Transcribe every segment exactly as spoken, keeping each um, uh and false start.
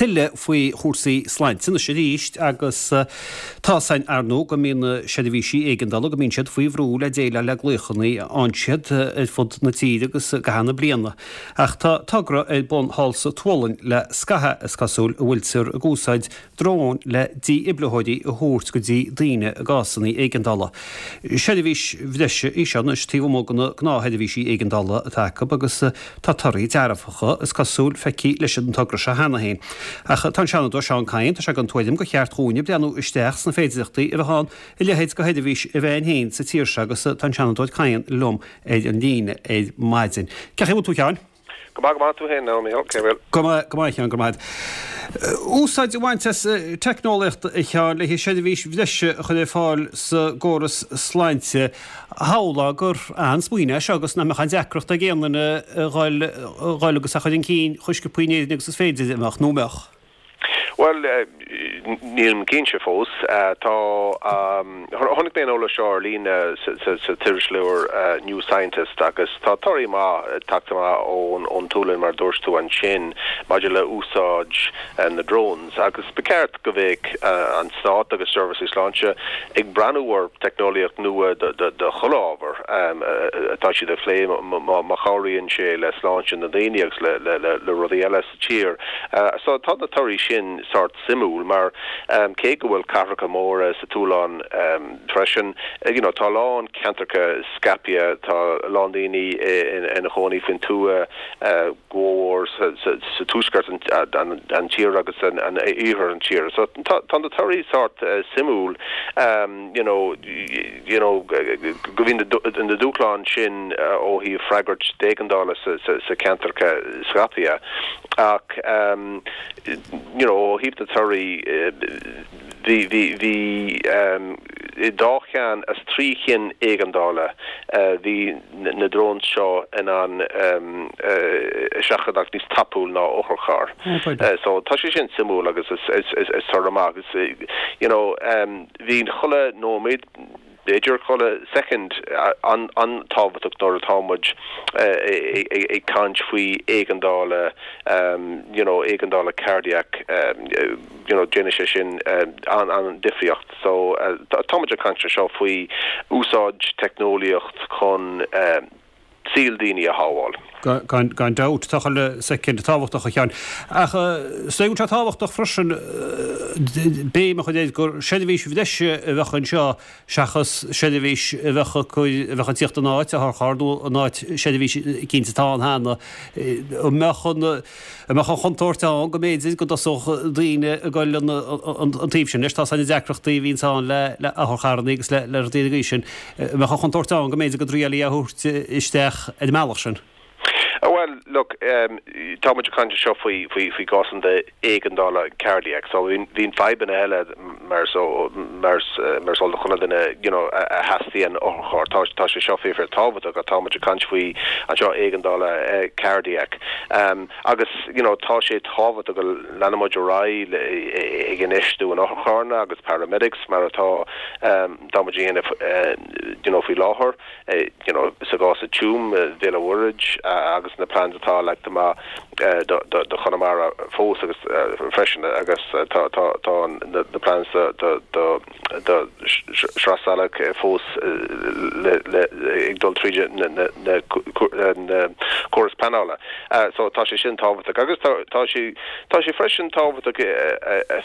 Tuilleadh faoi chúrsaí sláinte anois arís agus tá 's againn ar ndóigh go mbíonn na seirbhísí éigeandála go mbíonn siad faoi bhrú le déileáil le glaochanna a fhaigheann siad ar fud na tíre agus i gcaitheamh na bliana. Ach tá togra ar bun thall sa tSualainn le scaitheamh is cosúil a bhfuiltear ag úsáid dróin le dífhibritheoirí a thabhairt go dtí daoine i gcásanna éigeandála. Seirbhís bhreise í seo anois taobh amuigh de na gnáthsheirbhísí éigeandála atá acu agus tá torthaí dearfacha is cosúil feicthe leis an togra seo cheana féin. Ach tá an Seanadóir Seán Kyne, tá sé den tuairim gur cheart dhúinne breathnú isteach sna féidearthachtaí a bheadh ann a leithéid de sheirbhís a bheith againn féin sa tír seo agus tá an Seanadóir Kyne liom ar an líne ar maidin. Cén chaoi a bhfuil tú a Sheáin? Go maith go maith tú féin now Micheál, cé bhfuil? Go maith go maith a Sheáin, go maith. Úsáid a bhaint as teicneolaíocht a Sheáin le seirbhís bhreise a chur ar fáil sa gcóras sláinte. Shamhlófá gur an-smaoineamh é seo agus nach mbeadh aon deacracht ag aon duine a dhul a dhul agus a chur chun cinn chomh sciobtha in Éirinn agus is féidir a mbeadh nó mbeadh. Well nílim cinnte fós tá chonaic mé an eolas seo ar líne sa t-iriseoir New Scientist agus tá torthaí maith tagtha amach ón ón tSualainn mar dúirt tú ansin maidir le úsáid na drones agus ba cheart go mbeadh an stát agus seirbhísí sláinte ag breathnú ar teicneolaíocht nua de chuile ábhar atá siad ag plé má chabhraíonn sé le sláinte na daoine agus le le le rudaí eile sa tír. So tá na torthaí sin sort suimiúil mar um, cé go bhfuil cathracha móra sa tSualainn um, freisin you know, tá lán ceantracha scaipthe tá lán daoine ina gcónaí faoin tuath uh, go mór sa, sa, sa tuaisceart an, an, an tír agus an, an iarthar an tír. So tá na torthaí sort uh, suimiúil um, you know, you know, go bhíonn na dúshláin sin uh, ó thaobh freagairt d'éigeandála sa, sa, sa ceantracha scaipthe ach um, you know, ó thaobh na torthaí bhí bhí bhí um, i dá cheann as trí chinn éigeandála uh, bhí na drones seo in ann um, uh, seachadadh níos tapúla ná otharcharr. Uh, so tá sé sin suimiúil agus is is is, is amach agus you know um, bhí chuile nóiméad b'fhéidir chuile second an an tábhachtach nuair atá muid ag caint faoi éigeandála um, you know éigeandála cardiac um, you know déanann sé sin um, an an difríocht so uh, tá muid ag caint seo faoi úsáid teicneolaíocht chun um, saol daoine a shábháil. Gan gan dabht tá chuile soicind tábhachtach a Sheáin. Ach sé sé tábhachtach freisin béim a chur gur seirbhís bhreise a bheadh anseo seachas seirbhís a bheadh a bheadh ag tíocht in áit otharcharr nó in áit seirbhís eicínt atá ann cheana an mbeadh an an mbeadh an chontúirt ann go mb'fhéidir go dtosódh daoine ag dul an an taobh sin leis tá na deacrachtaí a bhíonn ann le le otharcharranna agus le le rudaí agaibh sin an mbeadh an chontúirt ann go mb'fhéidir go dtriailí a thabhairt isteach ar an mbealach sin. Well look um, tá muid ag caint seo faoi faoi faoi gásan de éigeandála cardiac so bhíonn fadhbanna eile mar so mar mar sol chuna duine you know a theastaíonn otharcharr tá tá sé seo fíor tábhachtach atá muid ag caint faoi anseo éigeandála uh, cardiac um, agus you know tá sé tábhachtach go leanfaidh muid ar aghaidh ag infheistiú in otharcharranna agus paramedics mar atá um, tá muid uh, you know faoi láthair uh, you know sa gcás i Tuaim Bhéal an Mhuirthead uh, agus na plans atá leagtha amach do do Chonamara fós agus freisin agus tá tá tá na plans do do do Sraith Salach fós le le ag dul tríd na na córas pleanála. So tá sé sin tábhachtach agus tá sé tá sé freisin tábhachtach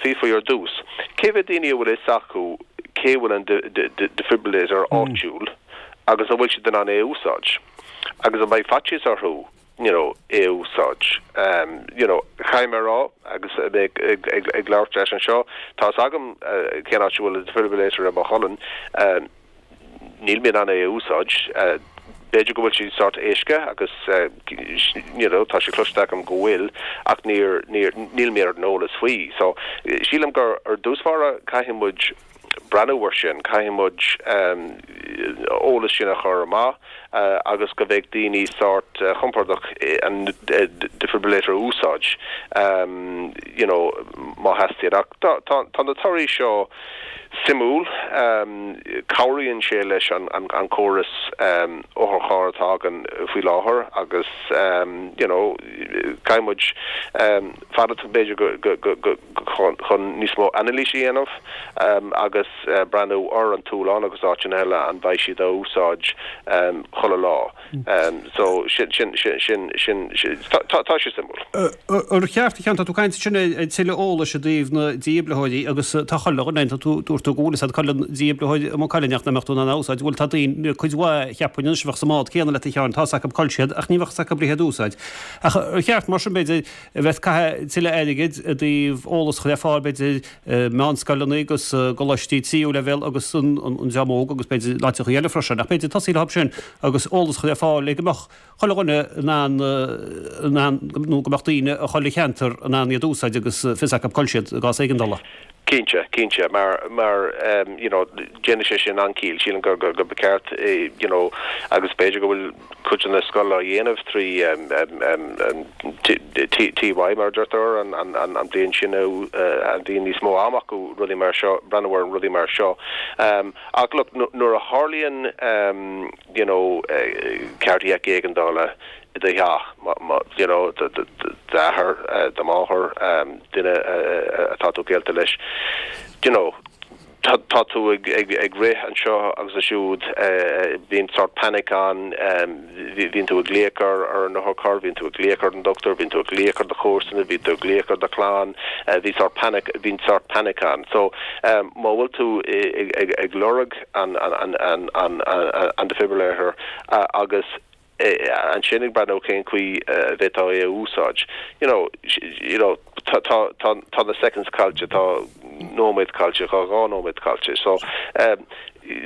fiafraí ar dtús. Cé mhéad daoine a bhfuil fhios acu cé bhfuil an defibrillator áitiúil agus an bhfuil siad in ann é úsáid. Agus an mbeidh faitíos orthu you know é úsáid um you know chaimrá agus ag ag ag ag labhairt leis anseo tá agam uh, cén áit bhfuil defibrillator i mo cholainn um, níl mé in ann é úsáid uh, b'fhéidir go bhfuil sé sort éasca agus uh, you know tá sé cloiste agam go bhfuil ach níor níor níl mé ar an eolas faoi so sílim gur ar dtús báire caithfidh muid breathnú air sin caithfidh muid um, eolas sin a chur amach uh, agus go bheidh daoine sort uh, compordach an uh, defibrillator úsáid um, you know má theastaíonn. Ach tá tá tá na torthaí seo suimiúil, cabhraíonn sé leis an an córas otharcharr atá againn faoi láthair agus you know caithfidh muid fanacht b'fhéidir go go go chun níos mó anailís a dhéanamh agus breathnú ar an Túlán agus áiteanna eile an mbeidh siad á úsáid chuile lá. So sin sin sin sin sin tá tá sé suimiúil. Ar cheart a Sheáin, tá tú ag caint ansin ar tuilleadh eolais i dtaobh na dífhibritheoirí agus tá chuile dhuine, tá tú dúirt tú go bhfuil fhios agat cá bhfuil an dífhibritheoir i Maigh Cuilinn ach nach mbeadh tú in ann a úsáid. Bhuel tá daoine, cuid mhaith cheapfainn anois a bheadh sa mbád céanna leat a Sheáin, tá fhios acu cá bhfuil siad ach ní bheadh fhios acu le iad a úsáid. Ach ar cheart mar sin b'fhéidir a bheith ag caitheamh tuilleadh airgid i dtaobh eolas a chur ar fáil b'fhéidir i meánscoileanna agus i gcoláistí tríú leibhéal agus an dream óg agus b'fhéidir in áiteachaí eile freisin ach b'fhéidir tosaí leo sin agus eolas a chur ar fáil le go mbeadh chuile dhuine in ann in ann nó go mbeadh daoine i chuile cheantar in ann iad a úsáid agus fios acu cá bhfuil siad i gcás éigeandála. Cinnte, cinnte, mar, mar you know, déanann sé sin an-chiall, sílim gur, gur, gur ba cheart you know, agus b'fhéidir go bhfuil cuid de na scoileanna á dhéanamh trí T Y mar a deirtear, an, an, an, an bhliain sin a bhíonn níos mó ama acu rudaí mar seo, breathnú ar rudaí mar seo. Ach look, nuair a tharlaíonn you know, cardiac éigeandála, i do theach, you know, d'athair, do mháthair, duine atá tú gaolta leis, you know, tá tú ag ag rith anseo agus ansiúd, bíonn sort panic ann, bíonn tú ag glaoch ar ar an otharcharr, bíonn tú ag glaoch ar an dochtúir, bíonn tú ag glaoch ar do chomharsana, bíonn tú ag glaoch ar do chlann, bhí sort panic, bíonn sort panic ann. So má bhfuil tú ag ag ag lorg an an an an an defibrillator agus ansin ag breathnú cén chaoi a bhféadfá é a úsáid. You know, you know, tá tá tá tá na seconds caillte, tá nóiméad caillte, tá dhá nóiméad caillte. So um,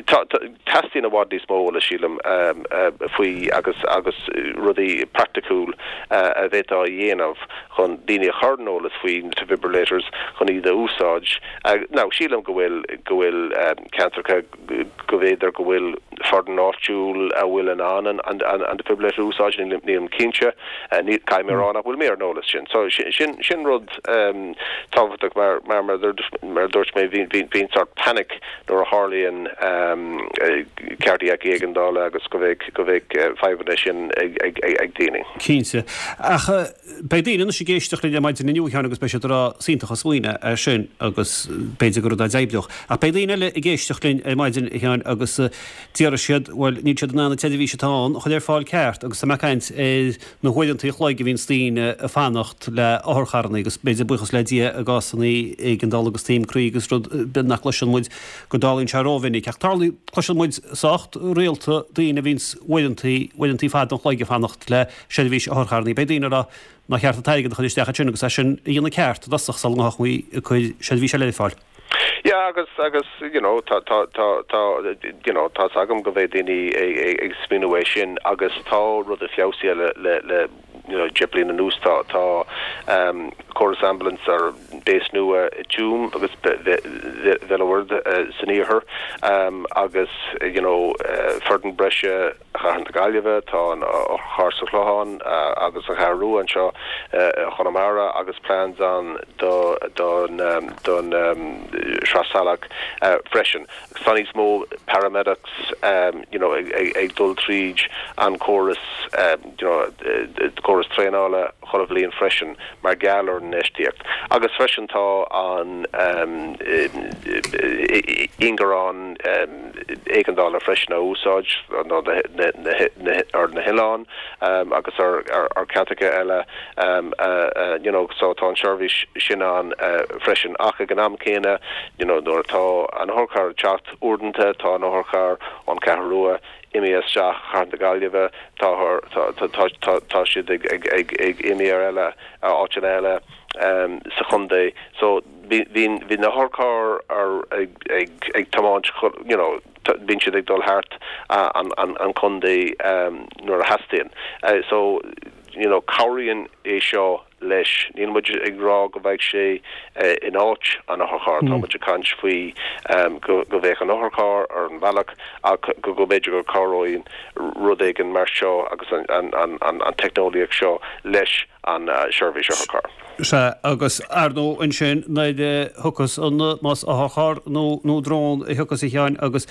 tá teastaíonn i bhfad níos mó eolais sílim um, uh, faoi agus agus rudaí praiticiúil uh, a bhféadfá a dhéanamh chun daoine a chur ar an eolas faoi na defibrillators chun iad a úsáid. Uh, now sílim go bhfuil go bhfuil um, ceantracha go bhféidir go bhfuil foireann áitiúil a bhfuil in ann an an defibrillator a úsáid, nílim cinnte, ní caithfidh mé a rá nach bhfuil mé ar an eolas sin. So sin sin rud tábhachtach mar mar mar mar a dúirt mé bhíonn bhíonn sort panic nuair a tharlaíonn cardiac éigeandála agus go bheidh go bheidh fadhbanna sin ag ag ag daoine. Cinnte. Ach beidh daoine anois ag éisteacht linn ar maidin inniu a Sheáin agus beidh siad ag rá is iontach an smaoineamh é sin agus b'fhéidir gur rud a d'oibreodh. Ach beidh daoine eile ag éisteacht linn ar maidin a Sheáin agus déarfaidh siad, bhuel, níl siad in ann an tseirbhís atá ann a chur ar fáil ceart agus tá mé ag caint ar na huaireanta an chloig a bhíonns daoine ag fanacht le otharcharranna agus b'fhéidir buíochas le Dia i gcásanna éigeandála agus taom croí agus rud nach gcloiseann muid go dtarlaíonn sé rómhinic. Ach tarlaíonn, cloiseann muid sách rialta daoine a bhíonns uaireanta, uaireanta fada an chloig ag fanacht le seirbhís otharcharranna. Beidh daoine ag rá nár cheart an t-airgead a chur isteach ansin agus é sin a dhéanamh ceart i dtosach sula ngabhfaí ag cur seirbhís eile ar fáil. Yeah agus agus you know tá tá tá tá you know tá's agam go mbeidh daoine ag ag ag smaoineamh é sin agus tá rudaí feabhsaithe le le le you know deich bliana anuas tá tá um córas ambulance ar base nua i Tuaim agus Béal an Mhuirthead san iarthar um agus you know foireann breise Chathair na Gaillimhe, tá an otharcharr sa Chlochán agus an Cheathrú Rua anseo i Chonamara agus plans ann do don don Sraith Salach freisin. Agus tá níos mó paramedics you know ag ag dul tríd an córas you know córas traenála chuile bhliain freisin mar gheall ar an infheistíocht. Agus freisin tá an ingearán éigeandála freisin á úsáid ar na hoileáin agus ar cheantracha eile you know so tá an seirbhís sin ann freisin. Ach ag an am céanna you know nuair atá an otharcharr ag teacht uaireanta tá an otharcharr ón Cheathrú Rua imithe isteach Chathair na Gaillimhe, tá siad ag imeacht ar eile, áiteanna eile sa chontae. So bhí na hotharchairr ag tiomáint, you know, bíonn siad ag dul thart an contae nuair a theastaíonn. So, you know, cabhraíonn é seo leis. Níl muid ag rá go mbeidh sé in áit an otharchairr, tá muid ag caint faoi go mbeadh an otharcharr ar an bhealach ach go b'fhéidir go cabhróidh rud éigin mar seo agus an teicneolaíocht seo leis an seirbhís otharcharr. Sea, agus ar ndóigh ansin nuair a thiocfas an, más otharcharr nó nó drón a thiocfas a Sheáin agus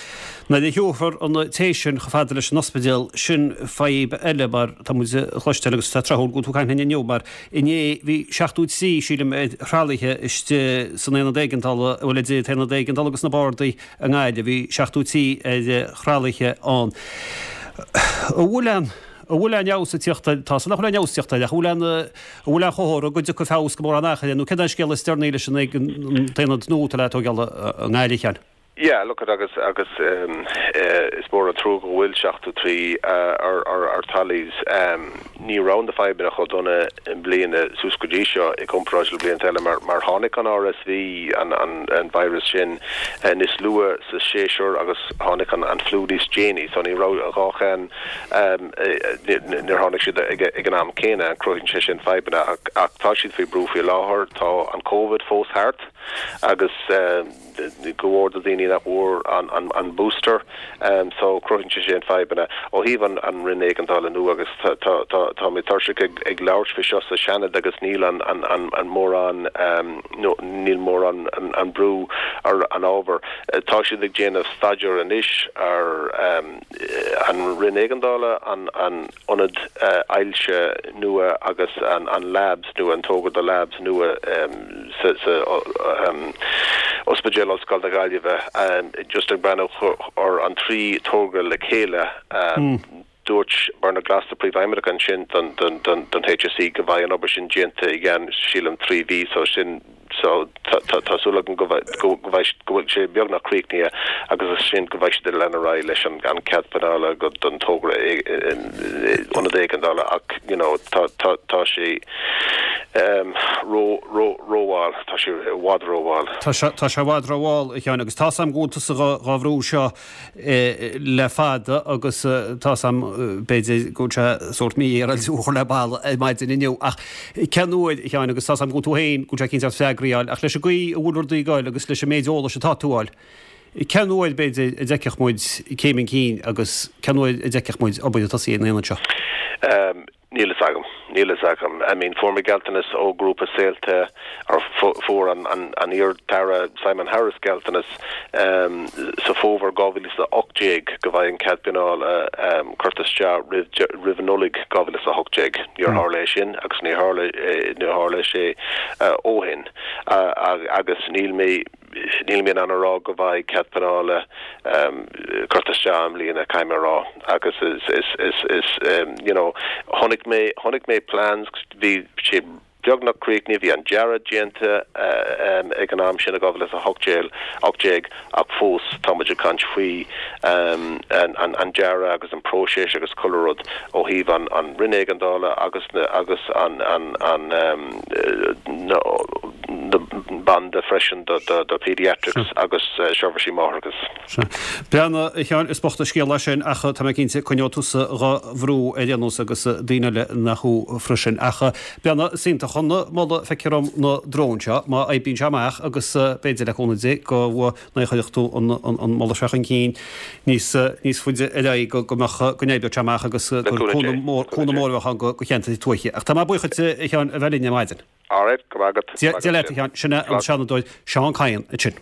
nuair a thiúrfar an té sin chomh fada leis an ospidéal, sin fadhb eile mar tá muid a chloisteáil agus tá tráthúil go bhfuil tú ag caint linn inniu mar inné bhí seachtó trí, sílim, ar thralaithe istigh san aonad éigeandála, bhuel idir an t-aonad éigeandála agus na bardaí i nGaillimh, bhí seachtó trí ar thralaithe ann. An bhfuil aon. An bhfuil aon fheabhas ag tíocht air? Tá a fhios agam nach bhfuil aon fheabhas ag tíocht air, ach an bhfuil aon, an bhfuil aon chomhartha go dtiocfaidh feabhas go mórán achar é, nó céard é an scéal is deireanaí leis an t-aonad nua atá le tógáil i nGaillimh, a Sheáin? Yeah, look at agus agus is mór an trua go bhfuil seachtó trí ar ar trolleys. Ní raibh na fadhbanna chomh dona i mbliana suas go dtí seo i gcomparáid le blianta eile mar mar tháinig an RSV, an an an virus sin, níos luath sa séasúr agus tháinig an an fliú níos déanaí so ní raibh an dhá cheann Níor tháinig siad ag an am céanna, cruthaíonn sé sin fadhbanna ach tá siad faoi brú faoi láthair. Tá an Covid fós thart agus go leor de dhaoine nach bhfuair an booster so cruthaíonn sé sin fadhbanna. Ó thaobh an Roinn Éigeandála nua agus tá mé tuirseach ag labhairt faoi seo sa Seanad agus níl an mórán níl mórán an brú ar an ábhar. Tá siad ag déanamh staidéar anois ar an Roinn Éigeandála, an Ionad Ailse nua agus an Labs nua, an togra do Labs nua sa Ospidéal Ollscoile na Gaillimhe. Just ag breathnú ar an trí togra le chéile, dúirt Bernard Gloster, Príomhfheidhmeannach ansin don HSE go mbeidh an obair sin déanta i gceann, sílim, trí mhí, so sin So tá súil agam go bhfuil sé beagnach críochnaithe agus as sin go mbeidh siad ag lean ar aghaidh leis an cead pleanála don togra ionad éigeandála ach you know tá sé ró-mhall, tá sé i bhfad ró-mhall. Tá sé i bhfad ró-mhall, a Sheáin, agus tá 's a'm go bhfuil tusa dhá bhrú seo le fada agus tá 's a'm b'fhéidir go bhfuil sé sórt mífhéaráilte thú a chur le balla ar maidin inniu ach cén uair, a Sheáin, agus tá 's a'm go bhfuil tú féin, go bhfuil sé cinnte ort freagraí a fháil ach leis an gcaoi a bhfuil rudaí ag goil agus leis an méid eolais atá tú a fháil, cén uair b'fhéidir a d'fheicfeadh muid céim chun cinn agus cén uair a d'fheicfeadh muid obair ag tosaí ar an aonad seo? Níl fhios agam. Níl fhios agam. I mean, fuair mé gealltanas ó ghrúpa Saolta, or fuair an an iar-Aire Simon Harris gealltanas sa fómhar dhá mhíle is a hocht déag go mbeidh an cead pleanála curtha isteach roimh roimh Nollaig dhá mhíle is a hocht déag. Níor tharla é sin agus níor tharla níor tharla sé ó shin. Agus níl mé Níl mé in ann a rá go mbeidh cead pleanála curtha isteach i mbliana, caithfidh mé a rá, agus is, is, is, is, you know, chonaic mé, chonaic mé plans, bhí sé beagnach críochnaithe, bhí an dearadh déanta ag an am sin i dhá mhíle is a hocht déag, ocht déag, ach fós tá muid ag caint faoi an, an, an dearadh agus an próiseas agus chuile rud ó thaobh an, an Roinn Éigeandála agus na, agus an, an, an, na, na banda freisin do Paediatrics agus seirbhísí máithreachais. Sea. Breathnaigh, a Sheáin, is bocht an scéal é sin ach tá mé cinnte, coinneoidh tusa dhá bhrú ar aon nós agus daoine eile nach thú freisin. Ach breathnaigh, is iontach an moladh feictear dom na dróin seo, má oibríonn sé amach agus b'fhéidir le cúnamh Dé go n-cuirfidh tú an moladh seo chun cinn níos níos faide ar aghaidh go go mbeadh go n-oibreodh sé amach agus gur cúnamh mór cúnamh mór a bheadh ann go cheantair tuaithe. Ach tá mé buíoch duit, a Sheáin, a bheith linn ar maidin. Alright, go raibh maith agat. Dia leat, a Sheáin. Sin é an Seanadóir Seán Kyne ansin.